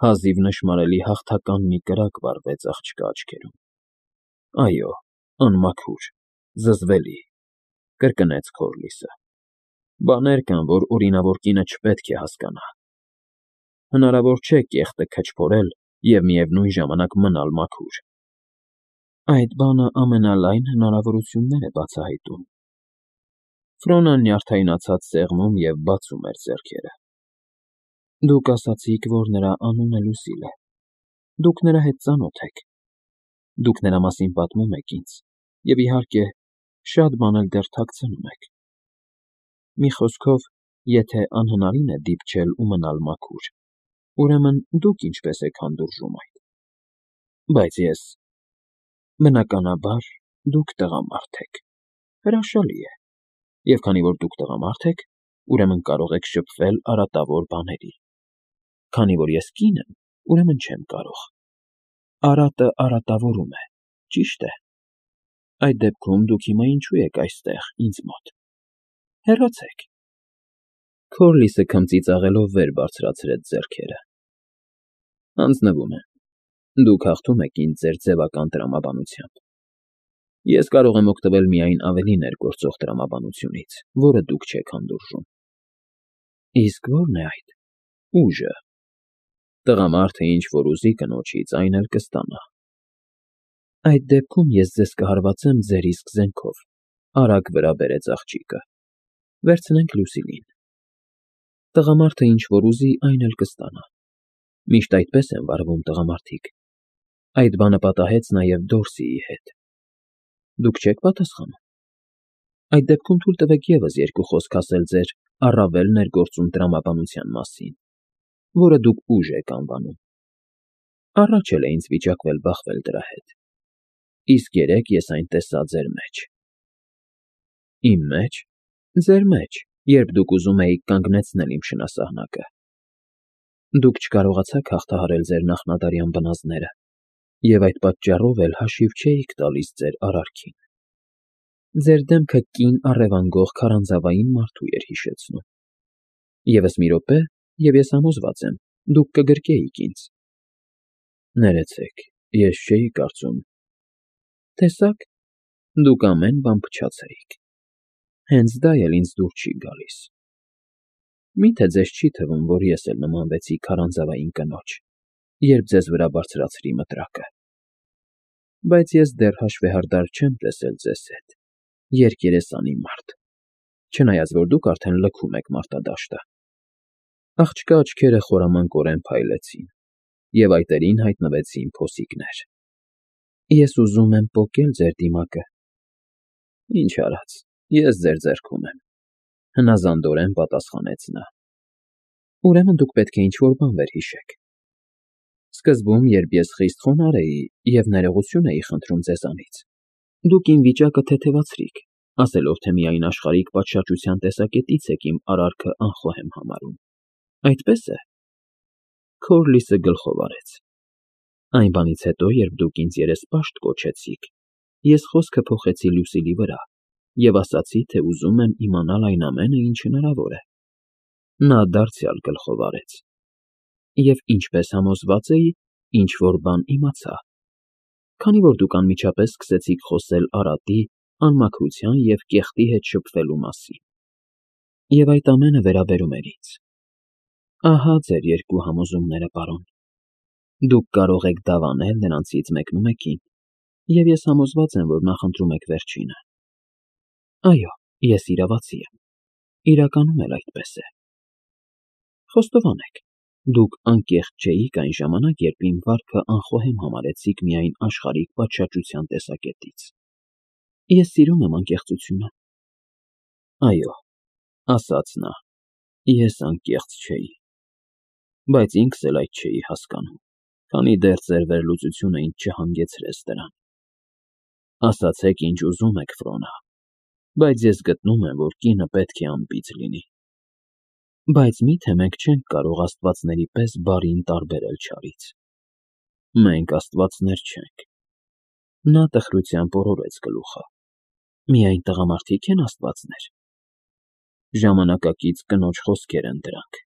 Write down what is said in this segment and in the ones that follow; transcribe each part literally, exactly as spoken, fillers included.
Հազիվ նշմարելի հաղթական մի կրակ վառվեց աղջկա աչքերում։ Այո, անմաքուր, զզվելի, կրկնեց Քորլիսը։ Բաներ կան, որ օրինավոր կինը չպետք է հասկանա։ Հնարավոր չէ կեղտը քչփորել և միևնույն ժամանակ մնալ մաքուր։ Այդ բանը ամենալայն հնարավորություններ է բացահայտում։ Ֆրոնան նյարդայնացած սեղմում և բացում էր ձեռքերը։ Դուք ասացիք, որ նրա անունը Լուսիլ է։ Դուք նրա հետ ծանոթ եք։ Դուք նրա մասին պատմում եք ինձ և, իհարկե, շատ բան էլ դեռ թաքցնում եք։ Մի խոսքով, եթե անհնարին է դիպչել ու մնալ մաքուր, ուրեմն դուք ինչպես եք հանդուրժում այդ։ Բայց ես… Բնականաբար, դուք տղամարդ եք, հրաշալի է, և քանի որ դուք տղամարդ եք, ուրեմն կարող եք շփվել արատավոր բաների։ Քանի որ ես կին եմ, ուրեմն չեմ կարող։ Արատը արատավորում է, ճիշտ է։ Այդ դեպքում դուք հիմա ինչու եք այստեղ, ինձ մոտ։ Հեռացեք։ Քորլիսը քմծիծաղելով վեր բարձրացրեց ձեռքերը։ Հանձնվում եմ, դուք հաղթում եք ինձ ձեր ձևական տրամաբանությամբ։ Ես կարող եմ օգտվել միայն ավելի ներգործող տրամաբանությունից, որը դուք չեք հանդուրժում։ Իսկ ո՞րն է այդ… ուժը։ Տղամարդը ինչ որ ուզի կնոջից, այն էլ կստանա։ Այդ դեպքում ես ձեզ կհարվածեմ ձեր իսկ զենքով, արագ վրա բերեց աղջիկը։ Վերցնենք Լուսիլին։ Տղամարդը ինչ որ ուզի, այն էլ կստանա։ Միշտ այդպես են վարվում տղամարդիկ։ Այդ բանը պատահեց նաև Դորսիի հետ։ Դուք չեք պատասխանում։ Այդ դեպքում թույլ տվեք ևս երկու խոսք ասել ձեր առավել ներգործուն տրամաբանության մասին, որը դուք ուժ եք անվանում։ Առաջ էլ է ինձ վիճակվել բախվել դրա հետ։ Իսկ երեկ ես այն տեսա ձեր մեջ։ Իմ մե՞ջ։ Ձեր մեջ, երբ դուք ուզում էիք կանգնեցնել իմ շնասահնակը։ Դուք չկարողացաք հաղթահարել ձեր նախնադարյան բնազդները և այդ պատճառով էլ հաշիվ չէիք տալիս ձեր արարքին։ Ձեր դեմքը կին առևանգող քարանձավային մարդու էր հիշեցնում։ Եվս մի րոպե, և ես համոզված եմ, դուք կգրկեիք ինձ։ Ներեցեք, ես չէի կարծում… Տեսա՞ք, դուք ամեն բան փչացրիք։ Հենց դա էլ ինձ դուր չի գալիս։ Մի՞թե ձեզ չի թվում, որ ես էլ նմանվեցի քարանձավային կնոջ, երբ ձեզ վրա բարձրացրի մտրակը։ Բայց ես դեռ հաշվեհարդար չեմ տեսել ձեզ հետ, երկերեսանի մարդ, չնայած որ դուք արդեն լքում եք մարտադաշտը։ Աղջկա աչքերը խորամանկորեն փայլեցին, և այտերին հայտնվեցին փոսիկներ։ Ես ուզում եմ պոկել ձեր դիմակը։ Ինչ արած, ես ձեր ձեռքում եմ, հնազանդորեն պատասխանեց նա։ Ուրեմն դուք պետք է ինչ֊որ բան վերհիշեք։ Սկզբում, երբ ես խիստ խոնարհ էի և ներողություն էի խնդրում ձեզանից, դուք իմ վիճակը թեթևացրիք, ասելով, թե միայն աշխարհիկ պատշաճության տեսակետից եք իմ արարքը անխոհեմ համարում։ Այդպե՞ս է։ Քորլիսը գլխով արեց։ Այն բանից հետո, երբ դուք ինձ երեսպաշտ կոչեցիք, ես խոսքը փոխեցի Լուսիլի վրա և ասացի, թե ուզում եմ իմանալ այն ամենը, ինչ հնարավոր է։ Նա դարձյալ գլխով արեց։ Եվ ինչպես համոզված էի, ինչ֊որ բան իմացա, քանի որ դուք անմիջապես սկսեցիք խոսել արատի, անմաքրության և կեղտի հետ շփվելու մասին։ Եվ այդ ամենը վերաբերում էր ինձ։ Ահա ձեր երկու համոզումները, պարոն։ Դուք կարող եք դավանել նրանցից մեկնումեկին, և ես համոզված եմ, որ նախընտրում եք վերջինը։ Այո, ես իրավացի եմ, իրականում էլ այդպես է։ Խոստովանեք, դուք անկեղծ չէիք այն ժամանակ, երբ իմ վարքը անխոհեմ համարեցիք միայն աշխարհիկ պատշաճության տեսակետից։ Ես սիրում եմ անկեղծությունը։ Այո, ասաց նա, ես անկեղծ չէի։ Բայց ինքս էլ այդ չէի հասկանում, քանի դեռ ձեր վերլուծությունը ինձ չհանգեցրեց դրան։ Ասացեք, ինչ ուզում եք, Ֆրոնա, բայց ես գտնում եմ, որ կինը պետք է անբիծ լինի։ Բայց մի՞թե մենք չենք կարող աստվածների պես բարին տարբերել չարից։ Մենք աստվածներ չենք։ Նա տխրությամբ օրորեց գլուխը։ Միայն տղամարդիկ են աստվածներ։ Ժամանակակից կնոջ խոսքեր են դրանք,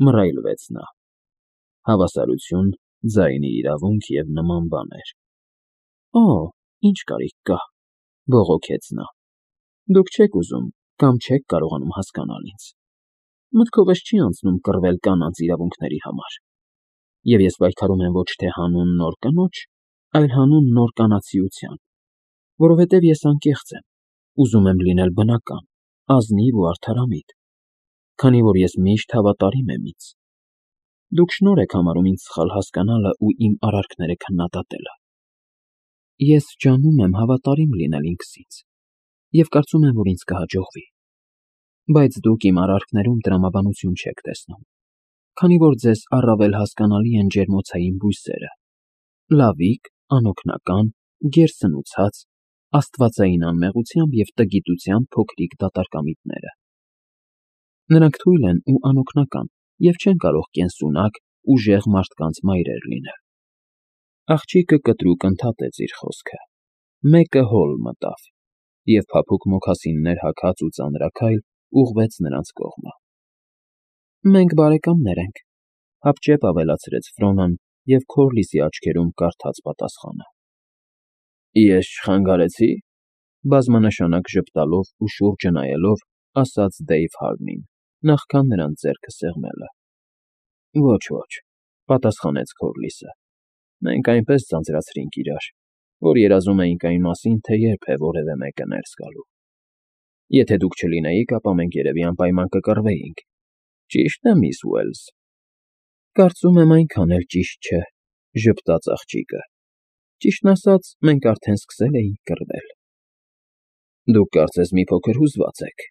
մռայլվեց նա։ Հավասարություն, ձայնի իրավունք և նման բաներ։ Օ, ինչ կարիք կա, բողոքեց նա։ Դուք չեք ուզում կամ չեք կարողանում հասկանալ ինձ։ Մտքովս չի անցնում կռվել կանանց իրավունքների համար։ Եվ ես պայքարում եմ ոչ թե հանուն նոր կնոջ, այլ հանուն նոր կանացիության, որովհետև ես անկեղծ եմ, ուզում եմ լինել բնական, ազնիվ ու արդարամիտ, քանի որ ես միշտ հավատարիմ եմ ինձ։ Դուք շնորհ եք համարում ինձ սխալ հասկանալը ու իմ արարքները քննադատելը։ Ես ջանում եմ հավատարիմ լինել ինքս ինձ և կարծում եմ, որ ինձ կհաջողվի։ Բայց դուք իմ արարքներում տրամաբանություն չեք տեսնում, քանի որ ձեզ առավել հասկանալի են ջերմոցային բույսերը, լավիկ, անօգնական, գերսնուցած, աստվածային անմեղությամբ և տգիտությամբ փոքրիկ դատարկամիտները։ Նրանք թույլ են ու անօգնական և չեն կարող կենսունակ, ուժեղ մարդկանց մայրեր լինել։ Աղջիկը կտրուկ ընդհատեց իր խոսքը, մեկը հոլ մտավ և փափուկ մոքասիններ հագած ու ծանրաքայլ ուղղվեց նրանց կողմը։ Մենք բարեկամներ ենք, հապճեպ ավելացրեց Ֆրոնան և Քորլիսի աչքերում կարդաց պատասխանը։ Ես չխանգարեցի՞, բազմանշանակ ժպտալով ու շուրջը նայելով, ասաց Դեյվ Հարնին, նախքան նրան ձեռքը սեղմելը։ Ոչ, ոչ, պատասխանեց Քորլիսը։ Մենք այնպես ձանձրացրինք իրար, որ երազում էինք այն մասին, թե երբ է որևէ մեկը ներս գալու։ Եթե դուք չլինեիք, ապա մենք երևի անպայման կկռվեինք։ Ճի՞շտ է, միս Ուելս։ Կարծում եմ այնքան էլ ճիշտ չէ, ժպտաց աղջիկը։ Ճիշտն ասած, մենք արդեն սկսել էինք կռվել։ Դուք կարծես մի փոքր հուզված եք,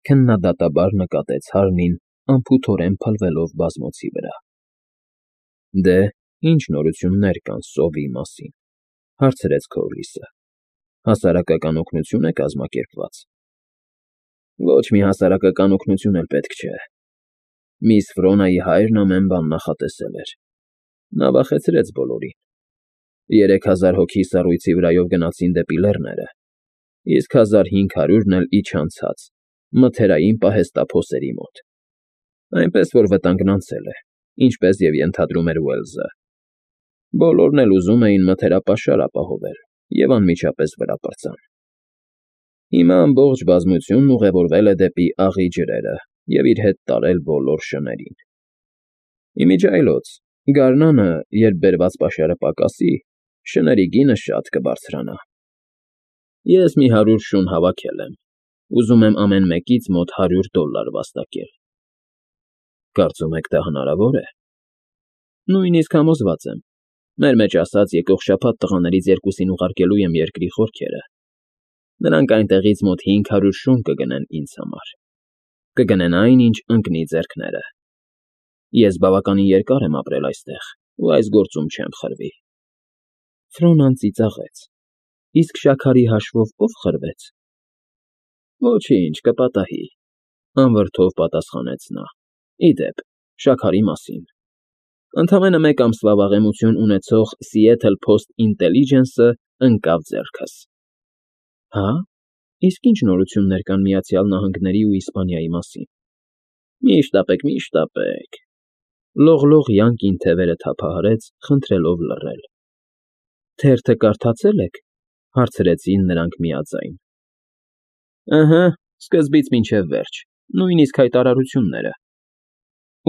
քննադատաբար նկատեց Հարնին, անփութորեն փլվելով բազմոցի վրա։ Դե, ինչ նորություններ կան սովի մասին, հարցրեց Քորլիսը։ Հասարակական օգնություն է կազմակերպված։ Ոչ մի հասարակական օգնություն էլ պետք չէ։ Միս Ֆրոնայի հայրն ամեն բան նախատեսել էր։ Նա վախեցրեց բոլորին։ Երեք հազար հոգի սառույցի վրայով գնացին դեպի լեռները, իսկ հազար հինգ հարյուրն էլ իջանցած, մթերային պահեստափոսերի մոտ։ Այնպես որ վտանգն անցել է, ինչպես և ենթադրում էր Ուելսը։ Բոլորն էլ ուզում էին մթերապաշար ապահովել և անմիջապես վրա պրծան։ Հիմա ամբողջ բազմությունն ուղևորվել է դեպի աղի ջրերը և իր հետ տարել բոլոր շներին։ Իմիջիայլոց, գարնանը, երբ բերված պաշարը պակասի, շների գինը շատ կբարձրանա։ Ես մի հարյուր շուն հավաքել եմ, ուզում եմ ամեն մեկից մոտ հարյուր դոլար վաստակել։ Կարծում եք դա հնարավոր է։ Նույնիսկ համոզված եմ։ Մեր մեջ ասած եկող շաբաթ տղաներից երկուսին ուղարկելու եմ երկրի խորքերը։ Նրանք այնտեղից մոտ հինգ հարյուր շուն կգնեն ինձ համար։ Կգնեն այն, ինչ ընկնի ձեռքները։ Ես բավականին երկար եմ ապրել այստեղ ու այս գործում չեմ խրվի։ Ֆրոնան ծիծաղեց։ Իսկ շաքարի հաշվով ո՞վ խրվեց։ Ոչինչ, կպատահի, անվրդով պատասխանեց նա։ Ի դեպ, շաքարի մասին։ Ընդամենը մեկ ամսվա վաղեմություն ունեցող Seattle Post Intelligence-ը ընկավ ձեռքս։ Հա՞, իսկ ինչ նորություններ կան Միացյալ Նահանգների ու Իսպանիայի մասին։ Մի շտապեք, մի շտապեք։ Լողլող յանկին թևերը թափահարեց, խնդրելով լռել։ Թերթը կարդացե՞լ եք, հարցրեցին նրանք միաձայն։ Ըհը, սկզբից մինչև վերջ, նույնիսկ հայտարարությունները։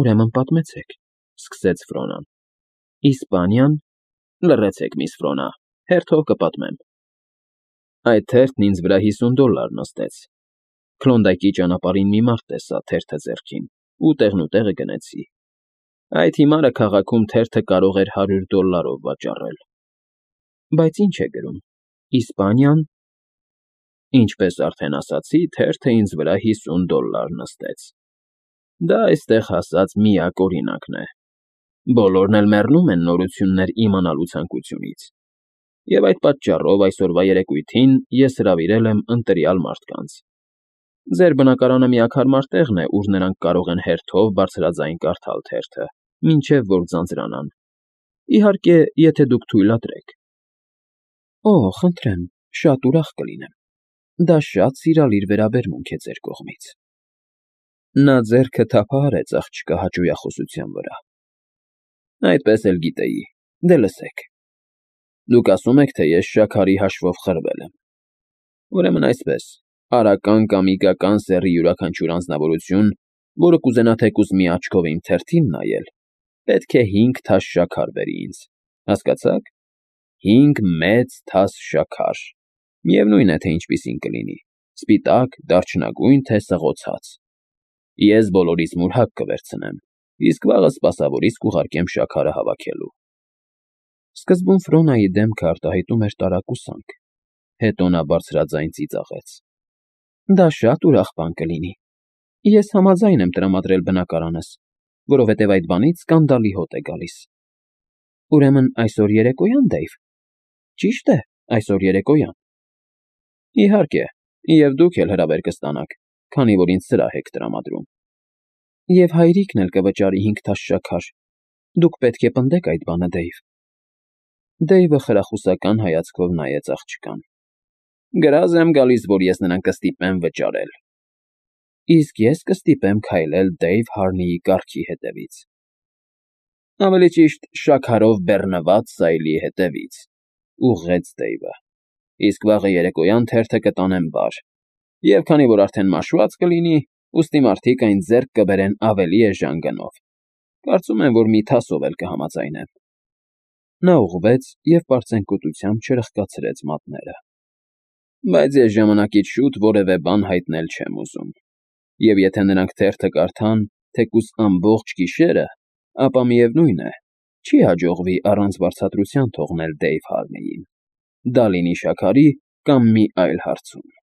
Ուրեմն պատմեցեք, սկսեց Ֆրոնան։ Իսպանիան, լռեցեք, միս Ֆրոնա, հերթով կպատմեմ։ Այդ թերթն ինձ վրա հիսուն դոլար նստեց։ Քլոնդայքի ճանապարհին մի մարդ տեսա թերթը ձեռքին ու տեղնուտեղը գնեցի։ Այդ հիմարը քաղաքում թերթը կարող էր հարյուր դոլարով վաճառել։ Բայց ինչ է գրում։ Իսպանիան։ Ինչպես արդեն ասացի, թերթը ինձ վրա հիսուն դոլար նստեց։ Դա այստեղ հասած միակ օրինակն է։ Բոլորն էլ մեռնում են նորություններ իմանալու ցանկությունից։ Եվ այդ պատճառով այսօրվա երեկույթին ես հրավիրել եմ ընտրյալ մարդկանց։ Ձեր բնակարանը միակ հարմար տեղն է, ուր նրանք կարող են հերթով բարձրաձայն կարդալ թերթը, մինչև որ ձանձրանան։ Իհարկե, եթե դուք թույլատրեք։ Օ, խնդրեմ, շատ ուրախ կլինեմ։ Դա շատ սիրալիր վերաբերմունք է ձեր կողմից։ Նա ձեռքը թափահարեց աղջկա հաճույախոսության վրա։ Այդպես էլ գիտեի, դե լսեք։ Դուք ասում եք, թե ես շաքարի հաշվով խրվել եմ։ Ուրեմն այսպես, արական կամ իգական սեռի յուրաքանչյուր անձնավորություն, որը կուզենա թեկուզ մի աչքով իմ թերթին նայել, պետք է հինգ թաս շաքար բերի ինձ, հասկացա՞ք։ Հինգ մեծ թաս շաքար, միևնույն է, թե ինչպիսին կլինի, սպիտակ, դարչնագույն, թե սղոցած։ Ես բոլորից մուրհակ կվերցնեմ, իսկ վաղը սպասավորիս կուղարկեմ շաքարը հավաքելու։ Սկզբում Ֆրոնայի դեմքը արտահայտում էր տարակուսանք, հետո նա բարձրաձայն ծիծաղեց. Դա շատ ուրախ բան կլինի։ Ես համաձայն եմ տրամադրել բնակարանս, որովհետև այդ բանից սկանդալի հոտ է գալիս։ Ուրեմն այսօր երեկոյան, Դեյվ։ Ճիշտ է, այսօր երեկոյան։ Իհարկե, և դուք էլ հրավեր կստանաք, քանի որ ինձ սրահ եք տրամադրում։ Եվ հայրիկն էլ կվճարի հինգ թաս շաքար։ Դուք պետք է պնդեք այդ բանը, Դեյվ։ Դեյվը խրախուսական հայացքով նայեց աղջկան։ Գրազ եմ գալիս, որ ես նրան կստիպեմ վճարել։ Իսկ ես կստիպեմ քայլել Դեյվ Հարնիի կառքի հետևից։ Ավելի ճիշտ, շաքարով բեռնված սայլի հետևից, ուղղեց Դեյվը։ Իսկ վաղը երեկոյան թերթը կտանեմ բար, և քանի որ արդեն մաշված կլինի, ուստի մարդիկ այն ձեռք կբերեն ավելի էժան գնով։ Կարծում եմ, որ մի թասով էլ կհամաձայնեն։ Նա ուղղվեց և պարծենկոտությամբ չրխկացրեց մատները։ Բայց ես ժամանակից շուտ որևէ բան հայտնել չեմ ուզում, և եթե նրանք թերթը կարդան թեկուզ ամբողջ գիշերը, ապա միևնույն է, չի հաջողվի առանց վարձատրության թողնել Դեյվ Հարնիին, դա լինի շաքարի կամ մի այլ հարցում։